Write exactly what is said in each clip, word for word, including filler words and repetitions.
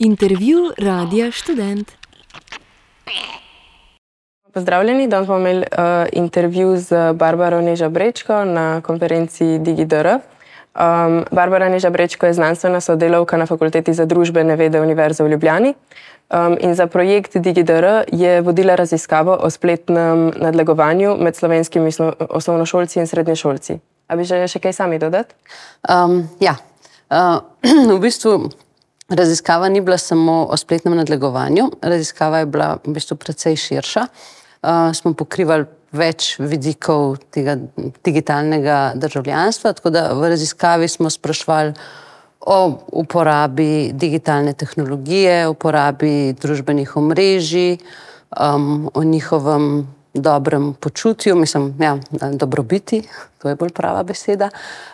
Intervju Radia Študent. Pozdravljeni, danes bomo imeli uh, intervju z Barbaro Neža Brečko na konferenci DigiDR. Um, Barbara Neža Brečko je znanstvena sodelavka na Fakulteti za družbene vede Univerze v Ljubljani um, in za projekt DigiDR je vodila raziskavo o spletnem nadlegovanju med slovenskimi osnovnošolci in srednješolci. A bi želeli še kaj sami dodati? Um, ja, uh, v bistvu raziskava ni bila samo o spletnem nadlegovanju, raziskava je bila v bistvu precej širša. Uh, smo pokrivali več vidikov tega digitalnega državljanstva, tako da v raziskavi smo spraševali o uporabi digitalne tehnologije, uporabi družbenih omrežij, um, o njihovem dobrem počutju, mislim, ja, dobrobiti, to je bolj prava beseda.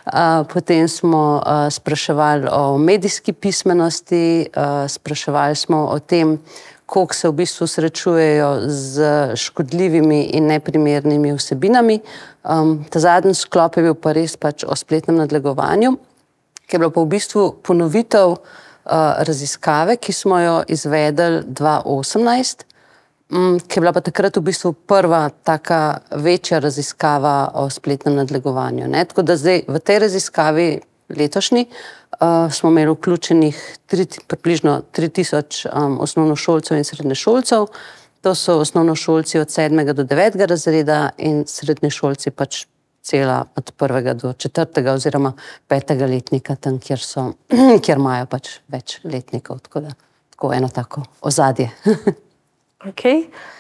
Uh, potem smo uh, spraševali o medijski pismenosti, uh, spraševali smo o tem, koliko se v bistvu srečujejo z škodljivimi in neprimernimi vsebinami. Um, ta zadnji sklop je bil pa res pač o spletnem nadlegovanju, ki je bilo pa v bistvu ponovitev uh, raziskave, ki smo jo izvedli dva tisoč osemnajst, um, ki je bila pa takrat v bistvu prva taka večja raziskava o spletnem nadlegovanju. Ne? Tako da zdaj v tej raziskavi letošnji uh, smo imeli vključenih tri, približno tri tisoč um, osnovnošolcev in srednješolcev. To so osnovnošolci od sedmega do devetega razreda in srednješolci pač cela od prvega do četrtega oziroma petega letnika, tam, kjer so, kjer imajo pač več letnikov. Tako da, tako eno tako ozadje. Ok.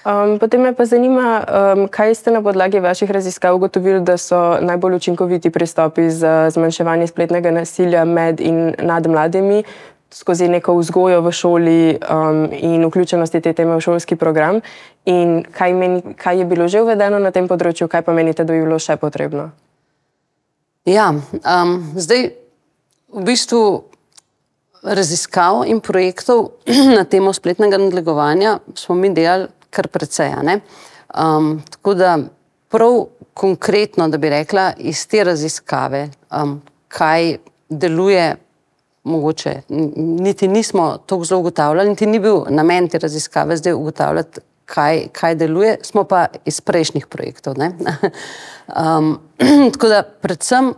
Um, potem me pa zanima, um, kaj ste na podlagi vaših raziskav ugotovili, da so najbolj učinkoviti pristopi za zmanjševanje spletnega nasilja med in nad mladimi skozi neko vzgojo v šoli um, in vključenosti te teme v šolski program. In kaj, meni, kaj je bilo že uvedeno na tem področju, kaj pa menite, da bi bilo še potrebno? Ja, um, zdaj v bistvu raziskav in projektov na temo spletnega nadlegovanja smo mi delali kar precej, ne? Um, tako da prav konkretno, da bi rekla, iz te raziskave, um, kaj deluje, mogoče niti nismo toliko zelo ugotavljali, niti ni bil namen te raziskave zdaj ugotavljati, kaj, kaj deluje, smo pa iz prejšnjih projektov, ne? um, tako da predvsem,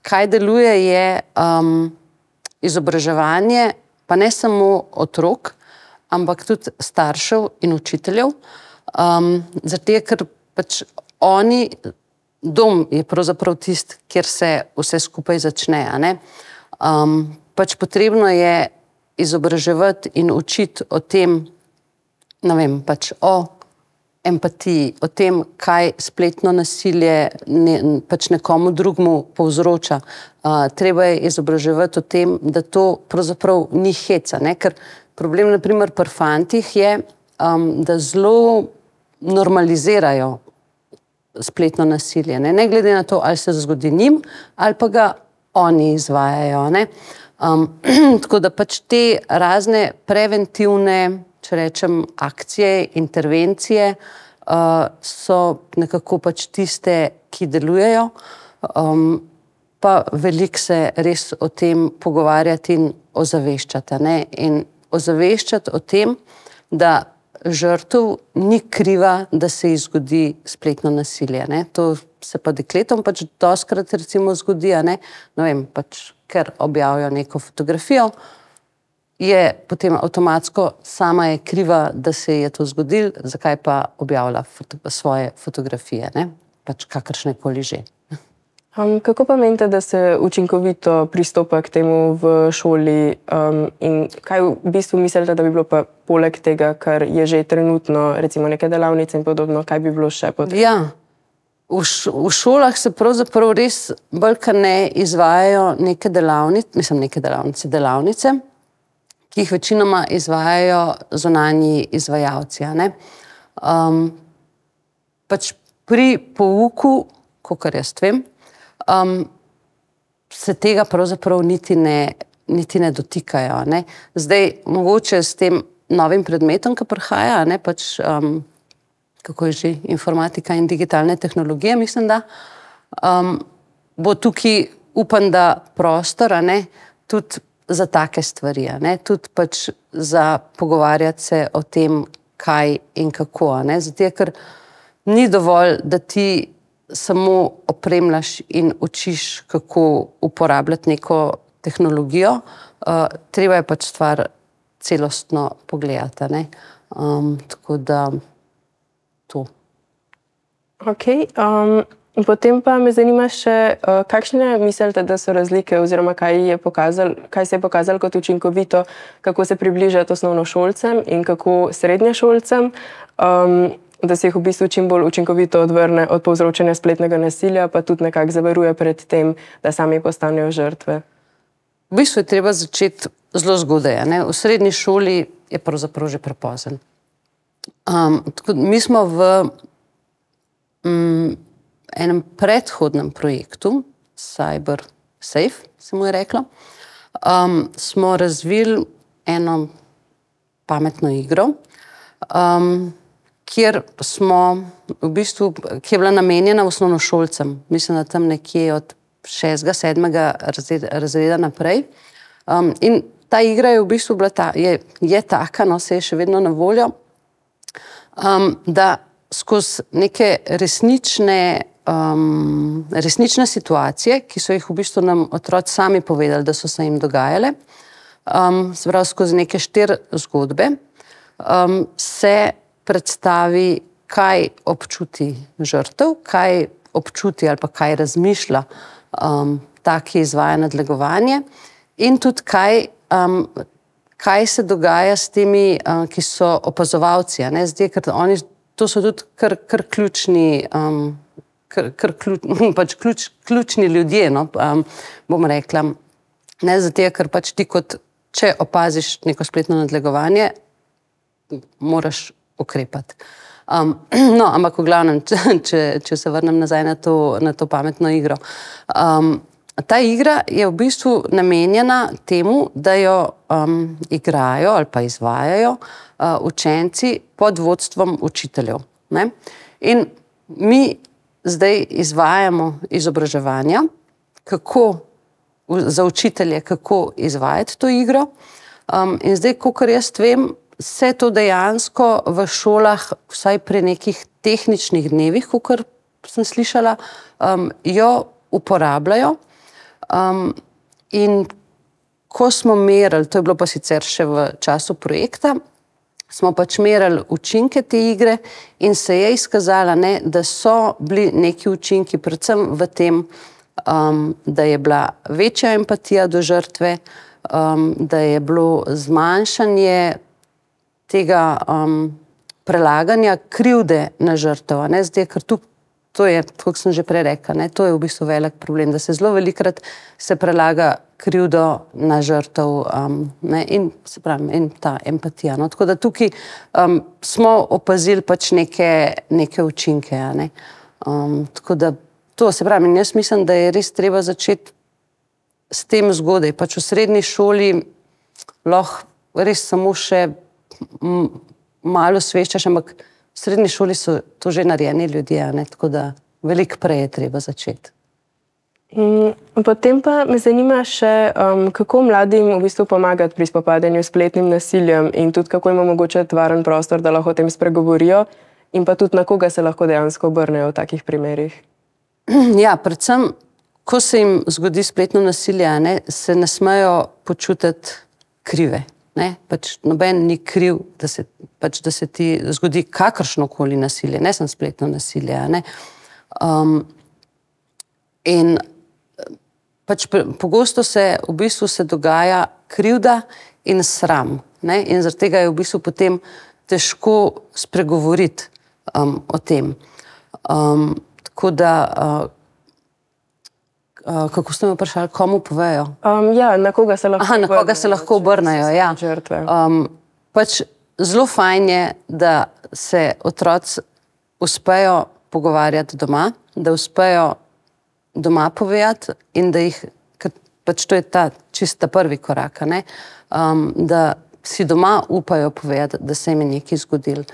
kaj deluje je um, izobraževanje, pa ne samo otrok, ampak tudi staršev in učiteljev. Um, zato, ker pač oni, dom je pravzaprav tisti, kjer se vse skupaj začne, a ne? Um, pač potrebno je izobraževati in učiti o tem, ne vem, pač o empatiji, o tem, kaj spletno nasilje ne, pač nekomu drugmu povzroča. Uh, treba je izobraževati o tem, da to pravzaprav ni heca, ne? Ker problem, na primer, pri fantih je, um, da zelo normalizirajo spletno nasilje, ne? Ne glede na to, ali se zgodi njim, ali pa ga oni izvajajo, ne? Um, tako da pač te razne preventivne, če rečem, akcije, intervencije uh, so nekako pač tiste, ki delujejo, um, pa veliko se res o tem pogovarjati in ozaveščati, ne? In ozaveščati o tem, da žrtev ni kriva, da se ji zgodi spletno nasilje, ne? To se pa dekletom pač dostikrat recimo zgodi, a ne? Ne vem, pač, ker objavijo neko fotografijo, je potem avtomatsko sama je kriva, da se je to zgodilo, zakaj pa objavlja foto, svoje fotografije, ne? Pač kakršne koli že. Um, kako pa menite, da se učinkovito pristopa k temu v šoli um, in kaj v bistvu mislite, da bi bilo pa poleg tega, kar je že trenutno, recimo neke delavnice in podobno, kaj bi bilo še potrebno? Ja, v, š, v šolah se pravzaprav res bolj kar ne izvajajo neke delavnice, mislim neke delavnice, delavnice, ki jih večinoma izvajajo zunanji izvajalci, a ne? Um, pač pri pouku, kakor jaz vem, um, se tega pravzaprav niti ne, niti ne dotikajo, ne? Zdaj, mogoče s tem novim predmetom, ki prihaja, ne, pač, um, kako je že, informatika in digitalne tehnologije, mislim, da, um, bo tukaj, upam, da prostor, a ne, tudi za take stvari, a ne? Tudi pač za pogovarjati se o tem, kaj in kako, a ne? Zato, ker ni dovolj, da ti samo opremljaš in učiš, kako uporabljati neko tehnologijo, uh, treba je pač stvar celostno pogledati, a ne? Um, tako da to. Ok, um, potem pa me zanima še, uh, kakšne mislite, da so razlike oziroma kaj, je pokazal, kaj se je pokazalo kot učinkovito, kako se približati osnovnošolcem in kako srednješolcem, um, da se jih v bistvu čim bolj učinkovito odvrne od povzročanja spletnega nasilja, pa tudi nekako zavaruje pred tem, da sami postanejo žrtve. V bistvu je treba začeti zelo zgodaj, ne? V srednji šoli je pravzaprav že prepozen. Um, tako, mi smo v um, enem predhodnem projektu, Cyber Safe, se mu je reklo, um, smo razvili eno pametno igro, um, kjer smo v bistvu, ki je bila namenjena osnovnošolcem, mislim, da tam nekje od šestega, sedmega razreda, razreda naprej. Um, in ta igra je v bistvu bila ta, je, je taka, no, se je še vedno na voljo, um, da skozi neke resnične, um, resnične situacije, ki so jih v bistvu nam otroci sami povedali, da so se jim dogajale, um, se pravi skozi neke štiri zgodbe, um, se predstavi, kaj občuti žrtev, kaj občuti ali pa kaj razmišlja um, ta, ki izvaja nadlegovanje in tudi kaj, um, kaj se dogaja s temi, um, ki so opazovalci, a ne? Zdaj, ker oni, to so tudi kar, kar ključni, um, kar, kar ključ, pač ključ, ključni ljudje, no? um, bom rekla. Ne, zato, ker pač ti kot, če opaziš neko spletno nadlegovanje, moraš ukrepati. Um, no, ampak v glavnem, če, če se vrnem nazaj na to, na to pametno igro. Um, ta igra je v bistvu namenjena temu, da jo um, igrajo ali pa izvajajo uh, učenci pod vodstvom učiteljev. Ne? In mi zdaj izvajamo izobraževanja, kako za učitelje, kako izvajati to igro. Um, in zdaj, kakor jaz vem, se to dejansko v šolah, vsaj pri nekih tehničnih dnevih, kakor sem slišala, um, jo uporabljajo. Um, in ko smo merili, to je bilo pa sicer še v času projekta, smo pač merili učinke te igre in se je izkazala, ne, da so bili neki učinki, predvsem v tem, um, da je bila večja empatija do žrtve, um, da je bilo zmanjšanje tega um, prelaganja krivde na žrtev, ne, zdaj, ker tu, to je, kot sem že prej rekla, ne, to je v bistvu velik problem, da se zelo velikrat se prelaga krivdo na žrtev, um, ne, in se pravi, in ta empatija, no, tako da tukaj um, smo opazili pač neke, neke učinke, a ne, um, tako da to, se pravi, in jaz mislim, da je res treba začeti s tem zgodaj, pač v srednji šoli lahko res samo še malo sveščaš, ampak v srednji šoli so to že narejeni ljudje, ne? Tako da veliko prej je treba začeti. Potem pa me zanima še, um, kako mladim v bistvu pomagati pri spopadanju s spletnim nasiljem in tudi kako jim omogočati varen prostor, da lahko o tem spregovorijo in pa tudi na koga se lahko dejansko obrnejo v takih primerih. Ja, predvsem, ko se jim zgodi spletno nasilje, ne, se ne smejo počutiti krive. Ne, pač noben ni kriv, da se, pač, da se ti zgodi kakršnokoli nasilje, ne samo spletno nasilje. Ne. Um, in pač pogosto se v bistvu se dogaja krivda in sram. Ne, in zaradi tega je v bistvu potem težko spregovoriti um, o tem. Um, tako da uh, Uh, kako ste me vprašali, komu povejo? Um, ja, na koga se lahko Aha, na koga se lahko obrnejo, ja. Um, pač zelo fajn je, da se otroci uspejo pogovarjati doma, da uspejo doma povedati in da jih, pač to je ta čista prvi korak, ne? Um, da si doma upajo povedati, da se jim je nekaj zgodilo.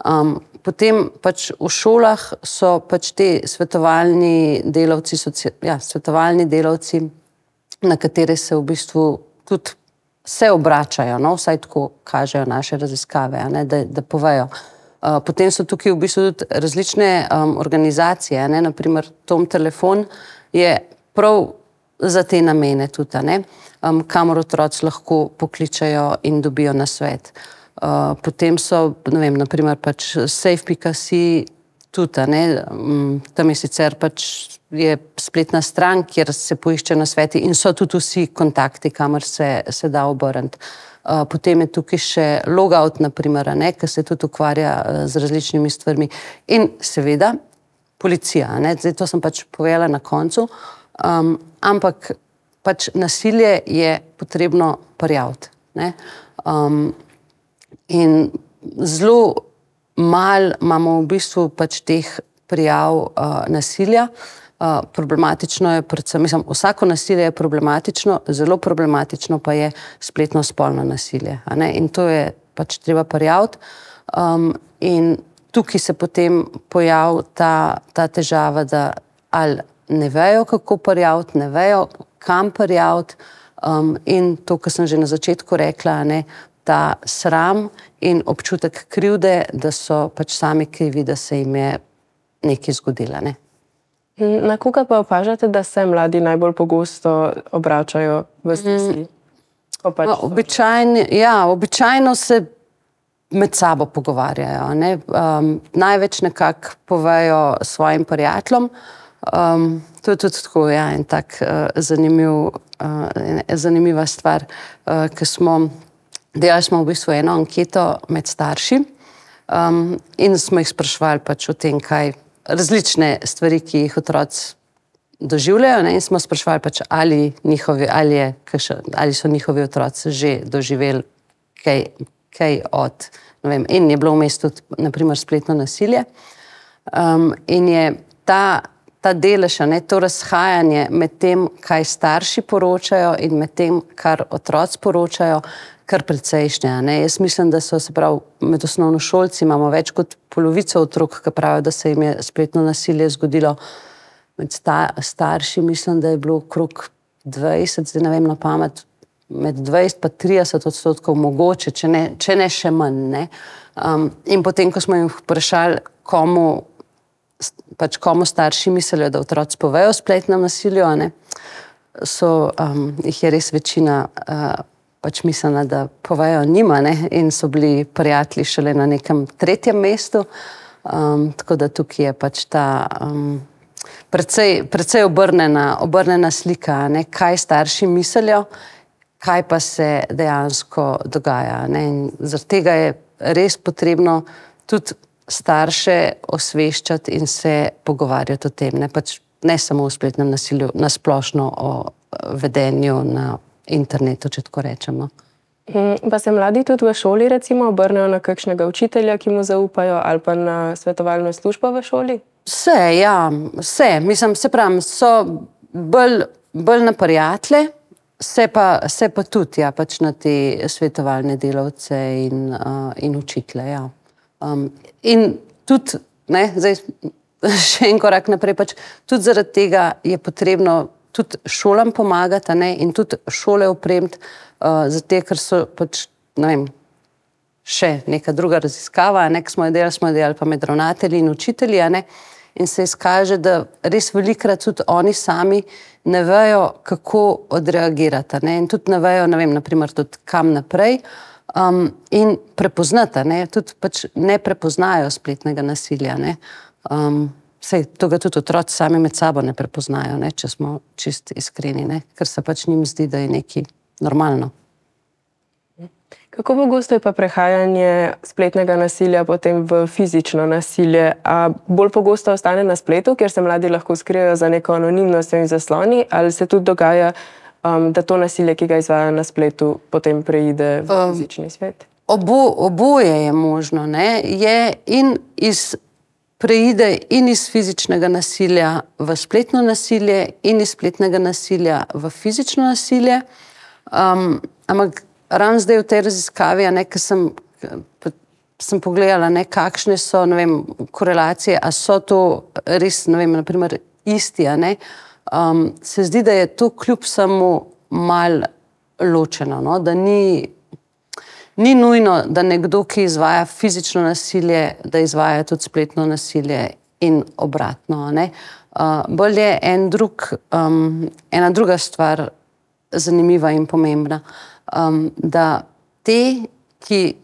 Um, potem pač v šolah so pač te svetovalni delavci, soci, ja, svetovalni delavci, na katere se v bistvu tudi se obračajo, no, vsaj tako kažejo naše raziskave, a ne, da, da povejo. Uh, potem so tukaj v bistvu tudi različne um, organizacije, ne, naprimer Tom telefon je prav za te namene tudi, ne, um, kamor otroci lahko pokličajo in dobijo nasvet. Uh, potem so, ne vem, naprimer pač safe pika si tudi, ne, um, tam je sicer pač je spletna stran, kjer se poišče nasveti in so tudi vsi kontakti, kamor se, se da obrniti. Uh, potem je tukaj še logout, naprimer, ne, ki se tudi ukvarja uh, z različnimi stvarmi. In seveda policija, ne, zdaj to sem pač povedala na koncu, um, ampak pač nasilje je potrebno prijaviti, ne. Um, in zelo malo imamo v bistvu pač teh prijav uh, nasilja. Uh, problematično je predvsem, mislim, vsako nasilje je problematično, zelo problematično pa je spletno spolno nasilje, a ne, in to je pač treba prijaviti. Um, in tukaj se potem pojavi ta, ta težava, da ali ne vejo, kako prijaviti, ne vejo, kam prijaviti, um, in to, kar sem že na začetku rekla, ne, ta sram in občutek krivde, da so pač sami krivi, da se jim je nekaj zgodilo, ne. Na koga pa opažate, da se mladi najbolj pogosto obračajo v stiski? Pač no, običajno, ja, običajno se med sabo pogovarjajo, ne. Um, največ nekako povejo svojim prijateljem. Um, to je tudi tako, ja, en tak uh, zanimiv, uh, zanimiva stvar, uh, ki smo, delali smo v bistvu eno anketo med starši um, in smo jih spraševali pač o tem, kaj različne stvari, ki jih otroci doživljajo, ne, in smo spraševali pač, ali, njihovi, ali, je, ali so njihovi otroci že doživeli kaj, kaj od, ne vem, in je bilo vmes tudi, naprimer, spletno nasilje. Um, in je ta, ta delež, ne, to razhajanje med tem, kaj starši poročajo in med tem, kar otroci poročajo, kar precejšnje, ne. Jaz mislim, da so, se pravi, med osnovnošolci imamo več kot polovico otrok, ki pravijo, da se jim je spletno nasilje zgodilo. Med sta, starši mislim, da je bilo okrog dvajset, zdaj ne vem na pamet, med dvajset pa trideset odstotkov mogoče, če ne, če ne še manj, ne. Um, in potem, ko smo jim vprašali, komu, pač komu starši mislijo, da otroci povejo o spletnem nasilju, ne, so, um, jih je res večina uh, pač mislila, da povejo njima, ne, in so bili prijatelji šele na nekem tretjem mestu. Um, tako da tukaj je pač ta um, precej, precej obrnena, obrnena slika, ne, kaj starši mislijo, kaj pa se dejansko dogaja, ne. In zaradi tega je res potrebno tudi starše osveščati in se pogovarjati o tem, ne, pač ne samo o spletnem nasilju, na splošno o vedenju na internetu, če tako rečemo. Pa se mladi tudi v šoli recimo obrnejo na kakšnega učitelja, ki mu zaupajo, ali pa na svetovalno službo v šoli? Vse, ja, vse. Mislim, se pravim, so bolj, bolj na prijatelje, se pa, se pa tudi, ja, pač na te svetovalne delavce in, uh, in učitelje, ja. Um, in tudi, ne, zdaj še en korak naprej, pač tudi zaradi tega je potrebno tudi šolam pomagati, ne, in tudi šole opremiti, uh, zato, ker so pač, ne vem, še neka druga raziskava, ne, ki smo jo delali, smo jo delali pa med ravnatelji in učitelji, ne, in se izkaže, da res velikokrat tudi oni sami ne vejo, kako odreagirati, ne, in tudi ne vejo, ne vem, naprimer tudi kam naprej, um, in prepoznati, ne, tudi pač ne prepoznajo spletnega nasilja, ne. Um, Sej, to ga tudi otroci sami med sabo ne prepoznajo, ne, če smo čist iskreni, ne, ker se pač njim zdi, da je nekaj normalno. Kako pogosto je pa prehajanje spletnega nasilja potem v fizično nasilje? A bolj pogosto ostane na spletu, kjer se mladi lahko skrijejo za neko anonimnostjo in zasloni, ali se tudi dogaja, um, da to nasilje, ki ga izvajajo na spletu, potem preide v fizični svet? Obo, oboje je možno, ne, je in iz preide in iz fizičnega nasilja v spletno nasilje in iz spletnega nasilja v fizično nasilje. Um, ampak ravno zdaj v tej raziskavi, ne, ki sem, sem pogledala, ne, kakšne so, ne vem, korelacije, a so to res, ne vem, naprimer isti, a ne, um, se zdi, da je to kljub samo mal ločeno, no? Da ni, ni nujno, da nekdo, ki izvaja fizično nasilje, da izvaja tudi spletno nasilje in obratno, ne? Uh, bolj je en drug, um, ena druga stvar zanimiva in pomembna, um, da te, ki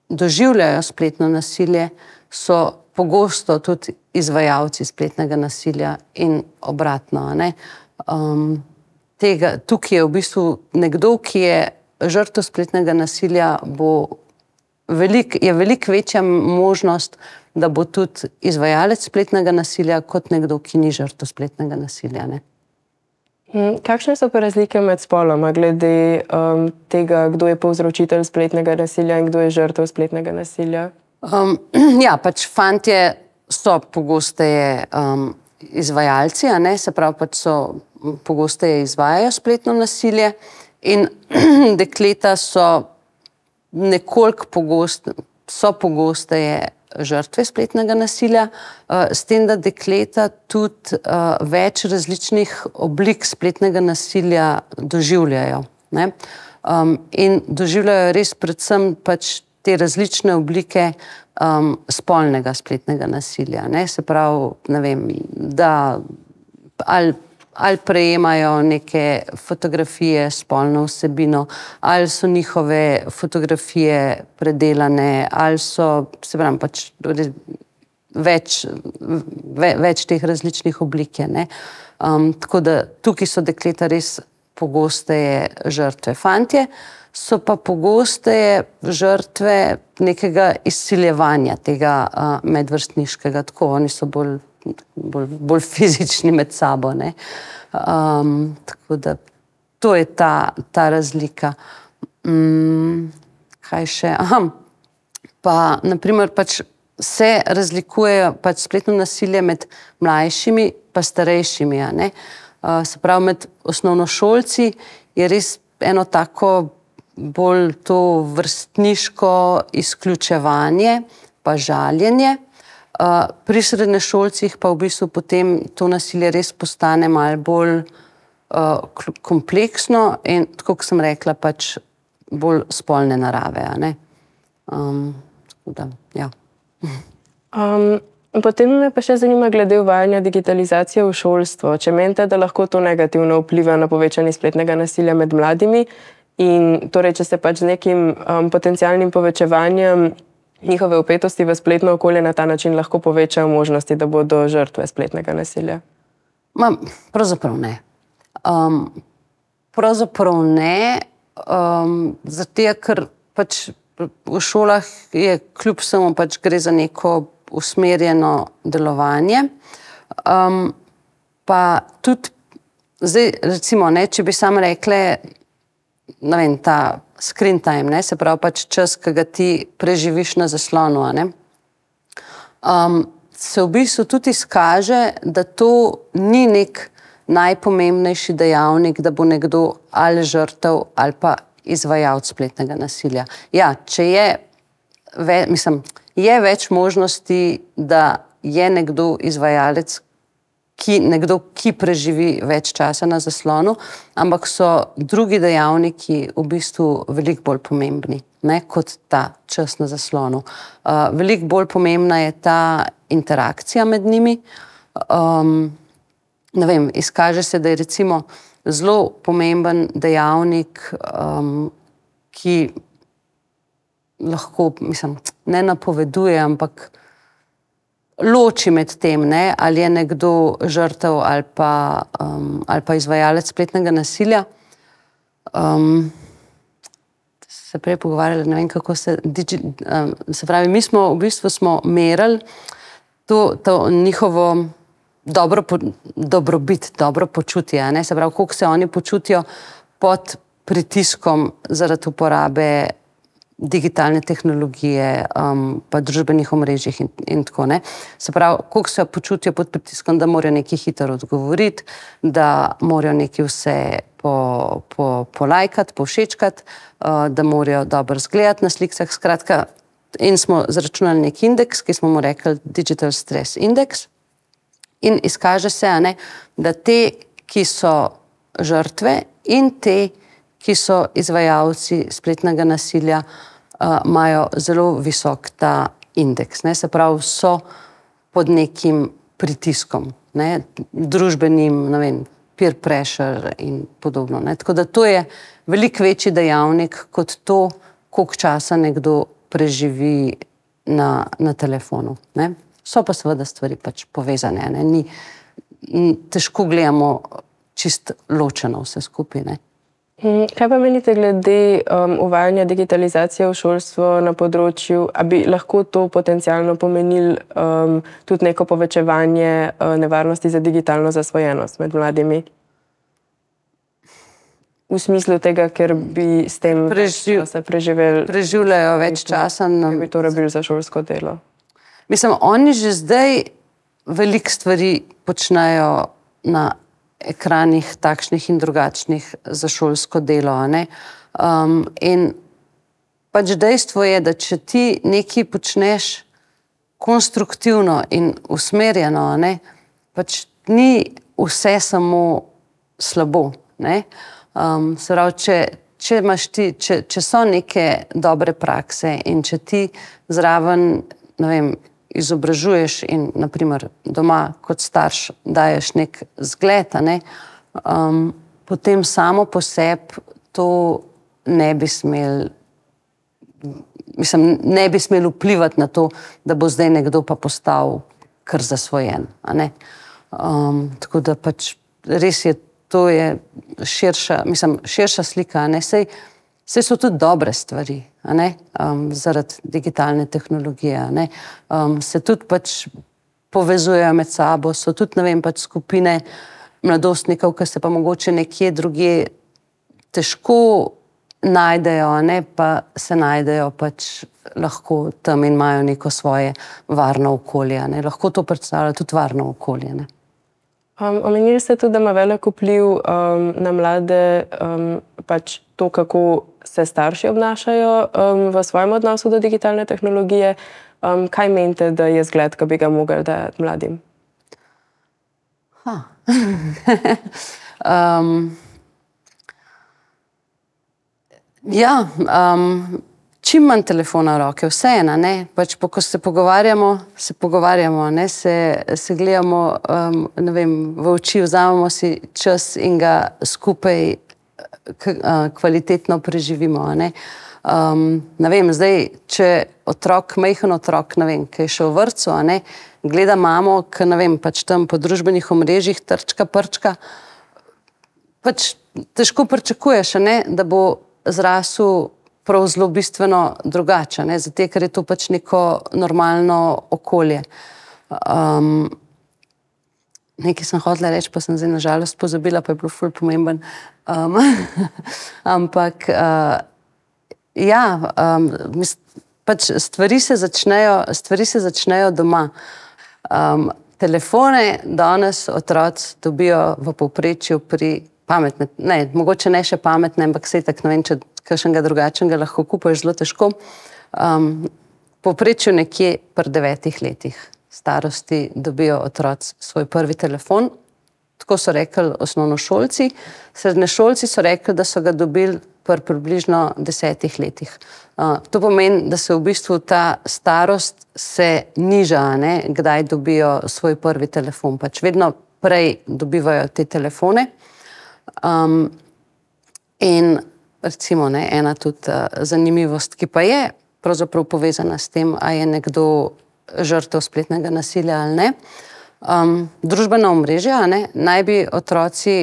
doživljajo spletno nasilje, so pogosto tudi izvajalci spletnega nasilja in obratno, ne? Um, tega, tukaj je v bistvu nekdo, ki je žrtev spletnega nasilja, bo velik, je veliko večja možnost, da bo tudi izvajalec spletnega nasilja kot nekdo, ki ni žrtev spletnega nasilja, ne? Kakšne so pa razlike med spoloma glede um, tega, kdo je povzročitelj spletnega nasilja in kdo je žrtev spletnega nasilja? Um, ja, pač fantje so pogosteje um, izvajalci, a ne, se pravi, pač so pogosteje izvajajo spletno nasilje in dekleta so nekoliko pogoste, so pogosteje žrtve spletnega nasilja, uh, s tem, da dekleta tudi uh, več različnih oblik spletnega nasilja doživljajo, ne. Um, in doživljajo res predvsem pač te različne oblike um, spolnega spletnega nasilja, ne. Se pravi, ne vem, da ali ali prejemajo neke fotografije s spolno vsebino, ali so njihove fotografije predelane, ali so, se pravi, pač več, ve, več teh različnih oblik je, ne. Um, tako da tukaj so dekleta res pogosteje žrtve. Fantje so pa pogosteje žrtve nekega izsiljevanja tega uh, medvrstniškega, tako oni so bolj Bolj, bolj fizični med sabo, ne. Um, tako da to je ta, ta razlika. Um, kaj še? Aha, pa naprimer pač se razlikujejo pač spletno nasilje med mlajšimi pa starejšimi, a ne. Uh, se pravi, med osnovnošolci je res eno tako bolj to vrstniško izključevanje pa žaljenje. Uh, pri srednješolcih pa v bistvu potem to nasilje res postane malo bolj uh, kompleksno in, tako kot sem rekla, pač bolj spolne narave, a ne. Um, tako da, ja. Um, potem me pa še zanima glede uvajanja digitalizacije v šolstvo. Če menite, da lahko to negativno vpliva na povečanje spletnega nasilja med mladimi in torej, če se pač z nekim um, potencialnim povečevanjem njihove vpetosti v spletno okolje na ta način lahko povečajo možnosti, da bodo žrtve spletnega nasilja? Ma, pravzaprav ne. Um, pravzaprav ne, um, zato ker pač v šolah je kljub vsemu pač gre za neko usmerjeno delovanje. Um, pa tudi zdaj, recimo, ne, če bi samo rekle, ne vem, ta screen time, ne, se pravi pač čas, ki ga ti preživiš na zaslonu, a ne. Um, se v bistvu tudi izkaže, da to ni nek najpomembnejši dejavnik, da bo nekdo ali žrtev ali pa izvajalec spletnega nasilja. Ja, če je, ve, mislim, je več možnosti, da je nekdo izvajalec, ki, nekdo, ki preživi več časa na zaslonu, ampak so drugi dejavniki v bistvu veliko bolj pomembni, ne, kot ta čas na zaslonu. Uh, veliko bolj pomembna je ta interakcija med njimi. Um, ne vem, izkaže se, da je recimo zelo pomemben dejavnik, um, ki lahko, mislim, ne napoveduje, ampak loči med tem, ne, ali je nekdo žrtev ali pa, um, ali pa izvajalec spletnega nasilja. Um, se prej pogovarjali, ne vem, kako se, digi, um, se pravi, mi smo v bistvu smo merili to, to njihovo dobro, dobrobit, dobro počutje, ne, se pravi, koliko se oni počutijo pod pritiskom zaradi uporabe digitalne tehnologije, um, pa družbenih omrežjih in, in tako, ne. Se pravi, koliko se počutijo pod pritiskom, da morajo nekaj hitro odgovoriti, da morajo nekaj vse po, po, polajkati, povšečkati, uh, da morajo dobro izgledati na slikah, skratka, in smo zračunali nek indeks, ki smo mu rekli Digital Stress Index, in izkaže se, ne, da te, ki so žrtve in te, ki so izvajalci spletnega nasilja, uh, imajo zelo visok ta indeks. Ne? Se pravi, so pod nekim pritiskom, ne? Družbenim, ne vem, peer pressure in podobno. Ne? Tako da to je veliko večji dejavnik kot to, koliko časa nekdo preživi na, na telefonu. Ne? So pa seveda stvari pač povezane. Ne? Ni, težko gledamo čist ločeno vse skupaj. Ne? Kaj pa menite glede um, uvajanja digitalizacije v šolstvo na področju, a bi lahko to potencialno pomenil um, tudi neko povečevanje uh, nevarnosti za digitalno zasvojenost med mladimi? V smislu tega, ker bi s tem Preživ, se preživeli, preživljajo več časa. Na, bi to rabili za šolsko delo. Mislim, oni že zdaj veliko stvari počnejo na ekranih takšnih in drugačnih za šolsko delo. Ne? Um, in pač dejstvo je, da če ti nekaj počneš konstruktivno in usmerjeno, ne? Pač ni vse samo slabo. Ne? Um, se pravi, če, če, imaš ti, če, če so neke dobre prakse in če ti zraven, ne vem, izobražuješ in naprimer doma kot starš daješ nek zgled, ne, um, potem samo po sebi to ne bi smel, mislim, ne bi smel vplivati na to, da bo zdaj nekdo pa postal kar zasvojen. A ne. Um, tako da pač res je, to je širša, mislim, širša slika, a ne, sej Vse so tudi dobre stvari, a ne, um, zaradi digitalne tehnologije, a ne, um, se tudi pač povezujejo med sabo, so tudi, ne vem, pač skupine mladostnikov, ki se pa mogoče nekje drugje težko najdejo, a ne, pa se najdejo pač lahko tam in imajo neko svoje varno okolje, a ne, lahko to predstavlja tudi varno okolje, ne. Um, omenili ste tudi, da ima velik vpliv um, na mlade um, pač to, kako se starši obnašajo um, v svojem odnosu do digitalne tehnologije. Um, kaj menite, da je zgled, ki bi ga mogli dati mladim? Ha. um, ja, um, čim manj telefona v roke, vseeno, ne, pač po, ko se pogovarjamo, se pogovarjamo, ne, se, se gledamo, um, ne vem, v oči, vzamemo si čas in ga skupaj k, uh, kvalitetno preživimo, ne. Um, ne vem, zdaj, če otrok, majhen otrok, ne vem, ki je šel v vrtcu, a ne, gleda mamo, ki, ne vem, pač tam po družbenih omrežjih trčka, prčka, pač težko pričakuješ, a ne, da bo zrasel prav zelo bistveno drugače, ne, zato, ker je to pač neko normalno okolje. Um, nekaj sem hotela reči, pa sem zdaj na žalost pozabila, pa je bilo ful pomemben. Um, ampak, uh, ja, um, pač stvari se začnejo, stvari se začnejo doma. Um, telefone danes otroci dobijo v povprečju pri pametne, ne, mogoče ne še pametne, ampak sej tak, ne vem, če kakšnega drugačnega lahko kupaš zelo težko. Um, povprečju nekje pri devetih letih starosti dobijo otroci svoj prvi telefon. Tako so rekli osnovnošolci. Srednješolci so rekli, da so ga dobili pri približno desetih letih. Uh, to pomeni, da se v bistvu ta starost se niža, ne, kdaj dobijo svoj prvi telefon. Pač vedno prej dobivajo te telefone. Um, in recimo, ne, ena tudi uh, zanimivost, ki pa je pravzaprav povezana s tem, a je nekdo žrtev spletnega nasilja ali ne. Um, družbena omrežja, ne, naj bi otroci,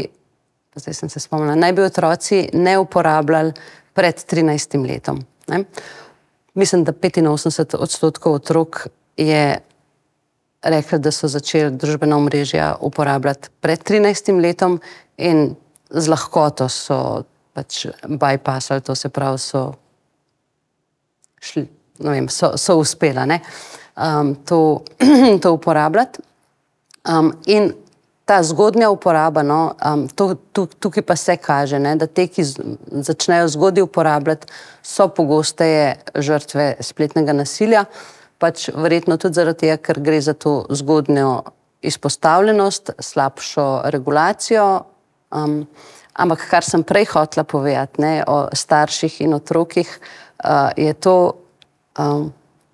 zdaj sem se spomnila, naj bi otroci ne uporabljali pred trinajstim letom. Ne. Mislim, da petinosemdeset odstotkov otrok je rekli, da so začeli družbena omrežja uporabljati pred trinajstim letom in z lahkoto so pač bypassali, to se pravi, so šli, ne vem, so, so uspela, ne, um, to, to uporabljati. Um, in ta zgodnja uporaba, no, um, to, tu, tukaj pa se kaže, ne, da te, ki z, začnejo zgodaj uporabljati, so pogosteje žrtve spletnega nasilja, pač verjetno tudi zaradi tega, ker gre za to zgodnjo izpostavljenost, slabšo regulacijo, um, ampak kar sem prej hotela povedati, ne, o starših in otrokih, uh, je to, um,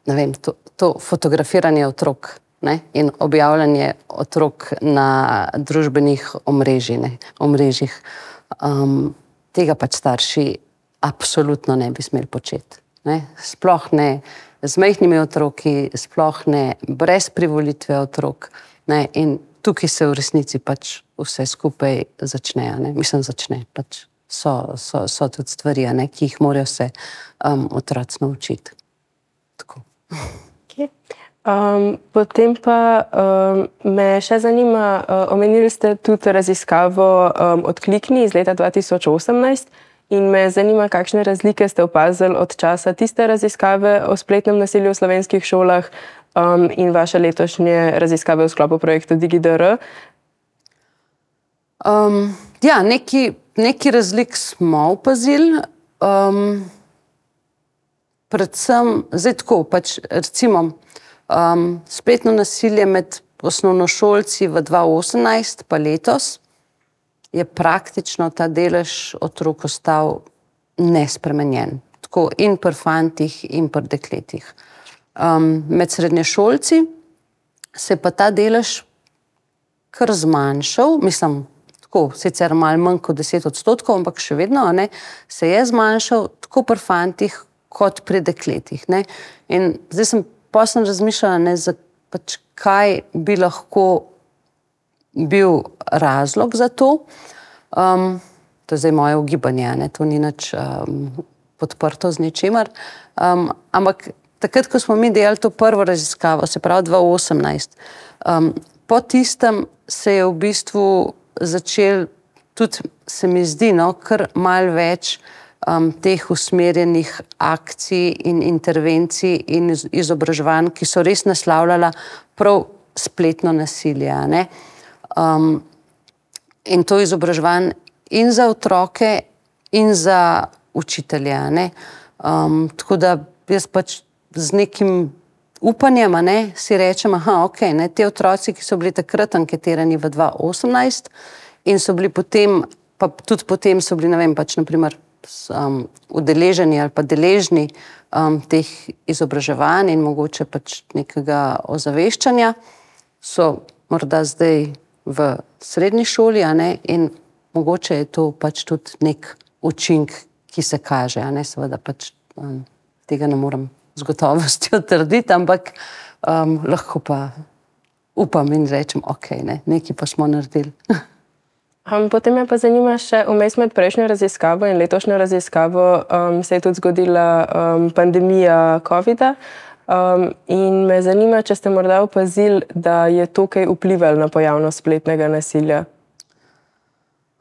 ne vem, to, to fotografiranje otrok, ne, in objavljanje otrok na družbenih omrežij, ne, omrežjih. Um, tega pač starši absolutno ne bi smeli početi. Ne. Sploh ne z majhnimi otroki, sploh ne brez privolitve otrok. Ne, in tukaj se v resnici pač vse skupaj začne, ne, mislim začne, pač so, so, so tudi stvari, ne, ki jih morajo se um, otroci naučiti. Tako. Okay. Um, potem pa um, me še zanima, uh, omenili ste tudi raziskavo um, Odklikni iz leta dva tisoč osemnajst in me zanima, kakšne razlike ste opazili od časa tiste raziskave o spletnem nasilju v slovenskih šolah um, in vaše letošnje raziskave v sklopu projekta DigiDR. Um, ja, neki, neki razlik smo opazili. Um, predvsem, zdaj tako, pač recimo, Um, spletno nasilje med osnovnošolci v dva osemnajst pa letos je praktično ta delež otrok ostal nespremenjen. Tako in pri fantih in pri dekletih. Um, med srednješolci se je pa ta delež kar zmanjšal, mislim, tako sicer malo manj kot deset odstotkov, ampak še vedno, ne, se je zmanjšal tako pri fantih kot pri dekletih. Ne. In zdaj sem Pa sem razmišljala, ne, za, pač, kaj bi lahko bil razlog za to. Um, to je zdaj moje ugibanje, ne, to ni nič um, podprto z ničemer. Um, ampak takrat, ko smo mi delali to prvo raziskavo, se pravi dva osemnajst, um, po tistem se je v bistvu začel tudi, se mi zdi, no, kar malo več Um, teh usmerjenih akcij in intervencij in izobraževanj, ki so res naslavljala prav spletno nasilje. Ne? Um, in to izobraževanje in za otroke in za učitelje. Ne? Um, tako da jaz pač z nekim upanjem, ne, si rečem, aha, ok, ne, te otroci, ki so bili takrat anketirani v dva osemnajst in so bili potem, pa tudi potem so bili, ne vem, pač naprimer Um, udeleženi ali pa deležni um, teh izobraževanj in mogoče pač nekega ozaveščanja, so morda zdaj v srednji šoli, a ne, in mogoče je to pač tudi nek učink, ki se kaže, a ne, seveda pač um, tega ne morem z gotovostjo trditi, ampak um, lahko pa upam in rečem, ok, ne, nekaj pa smo naredili. Um, potem me pa zanima še, vmes med prejšnjo raziskavo in letošnjo raziskavo um, se je tudi zgodila um, pandemija covida um, in me zanima, če ste morda opazili, da je to kaj vplivalo na pojavnost spletnega nasilja.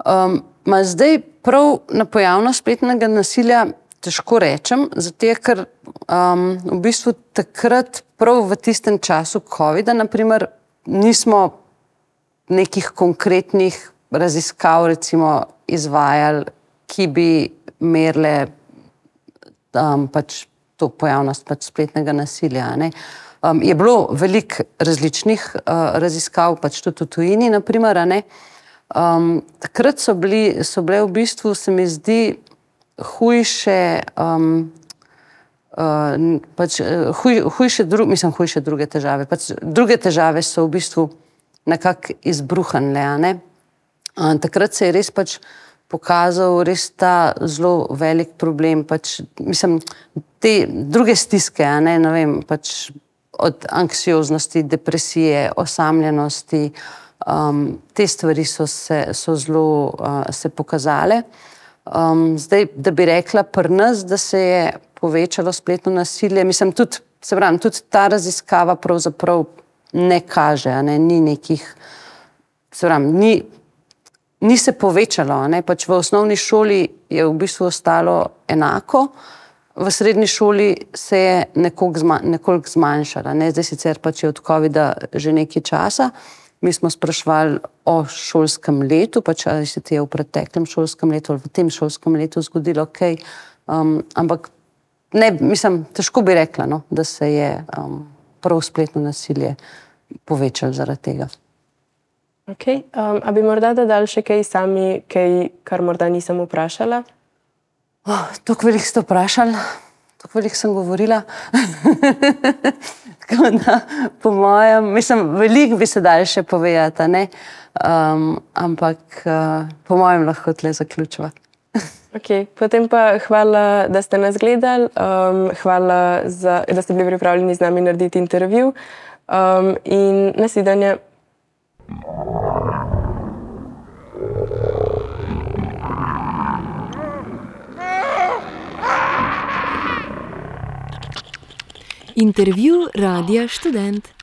Um, ma zdaj prav na pojavnost spletnega nasilja težko rečem, zato ker um, v bistvu takrat prav v tistem času covida, naprimer, nismo nekih konkretnih raziskav recimo izvajali, ki bi merile um, pač to pojavnost pač spletnega nasilja. Ne. Um, je bilo veliko različnih uh, raziskav, pač tudi v tujini, naprimer, ne. Um, takrat so, bili, so bile v bistvu, se mi zdi, hujše, um, uh, pač, huj, hujše, dru, mislim, hujše druge težave. Pač druge težave so v bistvu nekako izbruhnile, ne. Takrat se je res pač pokazal res ta zelo velik problem, pač, mislim, te druge stiske, a ne, ne vem, pač od anksioznosti, depresije, osamljenosti, um, te stvari so se, so zelo uh, se pokazale. Um, zdaj, da bi rekla pri nas, da se je povečalo spletno nasilje, mislim, tudi, se pravim, tudi ta raziskava pravzaprav ne kaže, a ne, ni nekih, se pravim, ni Ni se povečalo, ne? Pač v osnovni šoli je v bistvu ostalo enako, v srednji šoli se je nekoliko, zma, nekoliko zmanjšala. Ne? Zdaj sicer pač je od covida že nekaj časa. Mi smo spraševali o šolskem letu, pač ali se ti je v preteklem šolskem letu ali v tem šolskem letu zgodilo kaj. Um, ampak ne, mislim, težko bi rekla, no? Da se je um, prav spletno nasilje povečalo zaradi tega. Okay. Um, a bi morda dodali še kaj sami, kaj, kar morda nisem vprašala? Oh, tako veliko ste vprašali, tako veliko sem govorila. Tako da, po mojem, mislim, veliko bi se dali še povedati, ne? Um, ampak uh, po mojem lahko tle zaključiva. Okay. Potem pa hvala, da ste nas gledali, um, hvala, za, da ste bili pripravljeni z nami narediti intervju um, in nasvidenje. Intervju Radia Študent.